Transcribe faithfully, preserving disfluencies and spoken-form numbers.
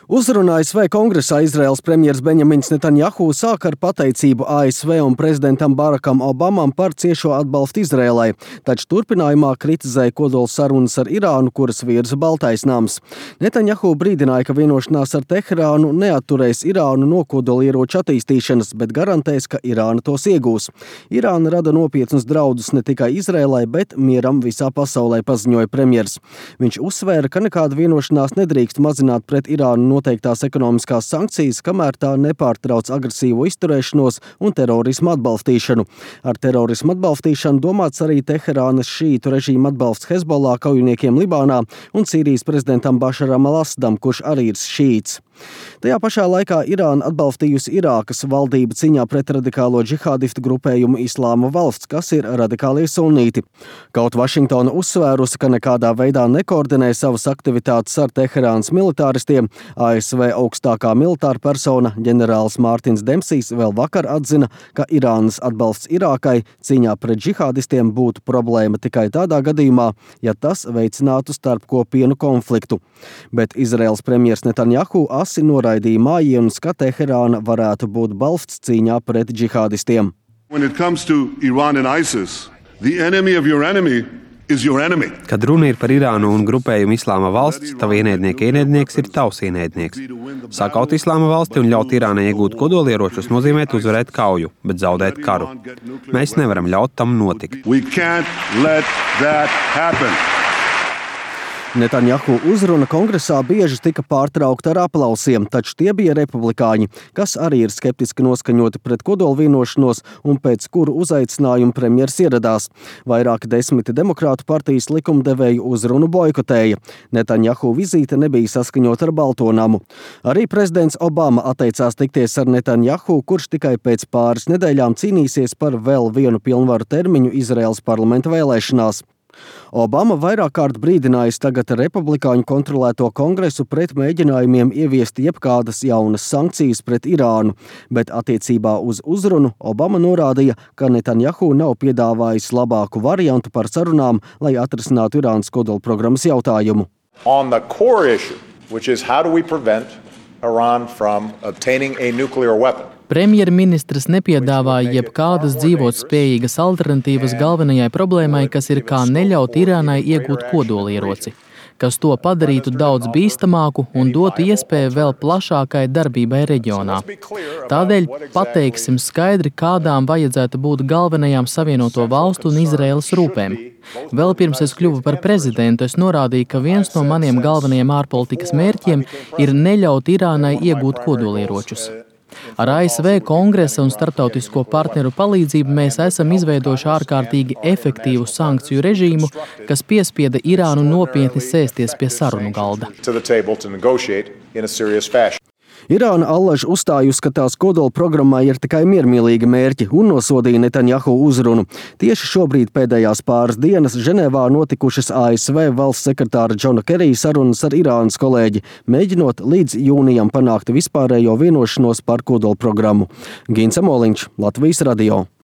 Uzrunā A S V kongresā Izraēlas premjers Benjamins Netanjahu sāk ar pateicību A S V un prezidentam Barakam Obamam par ciešo atbalstu Izraēlai, taču turpinājumā kritizēja kodola sarunas ar Irānu, kuras virza Baltais nams. Netanjahu brīdināja, ka vienošanās ar Teherānu neatturēs Irānu no kodolieroču attīstīšanas, bet garantēs, ka Irāna tos iegūs. Irāna rada nopietnus draudus ne tikai Izraēlai, bet mieram visā pasaulē, paziņoja premjers. Viņš uzsvēra, ka nekāda vienošanās nedrīkst mazināt pret Irānu noteiktās ekonomiskās sankcijas, kamēr tā nepārtrauc agresīvo izturēšanos un terorismu atbalstīšanu. Ar terorismu atbalstīšanu domāts arī Teherānas šītu režīma atbalsts Hezbollah kaujiniekiem Libānā un Sīrijas prezidentam Bašaram al-Asadam, kurš arī ir šīts. Tajā pašā laikā Irāna atbalstījusi Irākas valdību cīņā pret radikālo džihādistu grupējumu Islāma valsts, kas ir radikālie sunīti. Kaut Vašingtona uzsvērusi, ka nekādā veidā nekoordinē savas aktivitātes ar Teherānas militāristiem, A S V augstākā militāra persona ģenerālis Mārtins Dempsijs vēl vakar atzina, ka Irānas atbalsts Irākai cīņā pret džihādistiem būtu problēma tikai tādā gadījumā, ja tas veicinātu starpkopienu konfliktu. Bet Izraēlas premjers Netanjahu asi noraidīja mājienus, ka Teherāna varētu būt balsts cīņā pret džihādistiem. When it comes to Iran and ISIS, the enemy of your enemy is your enemy. Kad runa ir par Irānu un grupējumu Islāma valsts, tava ienaidnieka ienaidnieks ir tavs ienaidnieks. Sākaut Islāma valsti un ļaut Irānai iegūt kodolieročus nozīmē uzvarēt kauju, bet zaudēt karu. Mēs nevaram ļaut tam notikt. We can't let that happen. Netanjahu uzruna kongresā bieži tika pārtraukta ar aplausiem, taču tie bija republikāņi, kas arī ir skeptiski noskaņoti pret kodola vienošanos un pēc kuru uzaicinājumu premjers ieradās. Vairāki desmiti demokrātu partijas likumdevēju uzrunu boikotēja. Netanjahu vizīte nebija saskaņota ar Balto namu. Arī prezidents Obama atteicās tikties ar Netanjahu, kurš tikai pēc pāris nedēļām cīnīsies par vēl vienu pilnvaru termiņu Izraēlas parlamenta vēlēšanās. Obama vairāk kārt brīdinājis tagad republikāņu kontrolēto kongresu pret mēģinājumiem ieviest jebkādas jaunas sankcijas pret Irānu, bet attiecībā uz uzrunu Obama norādīja, ka Netanjahu nav piedāvājis labāku variantu par sarunām, lai atrisinātu Irānas kodolprogrammas jautājumu. On the core issue, which is how do we prevent Iran from obtaining a nuclear weapon? Premjerministrs nepiedāvāja jebkādas dzīvotspējīgas alternatīvas galvenajai problēmai, kas ir kā neļaut Irānai iegūt kodolieroci, kas to padarītu daudz bīstamāku un dotu iespēju vēl plašākai darbībai reģionā. Tādēļ pateiksim skaidri, kādām vajadzētu būt galvenajām Savienoto valstu un Izraēlas rūpēm. Vēl pirms es kļuvu par prezidentu, es norādīju, ka viens no maniem galvenajiem ārpolitikas mērķiem ir neļaut Irānai iegūt kodolieročus. Ar A S V kongresa un starptautisko partneru palīdzību mēs esam izveidojuši ārkārtīgi efektīvu sankciju režīmu, kas piespieda Irānu nopietni sēsties pie sarunu galda. Irāna allaž uzstājusi, ka tās kodola programmā ir tikai miermīlīgi mērķi un nosodīja Netanjahu uzrunu. Tieši šobrīd pēdējās pāris dienas Ženēvā notikušas A S V valsts sekretāra Džona Kerija sarunas ar Irānas kolēģi, mēģinot līdz jūnijam panākt vispārējo vienošanos par kodola programmu. Gins Amoliņš, Latvijas radio.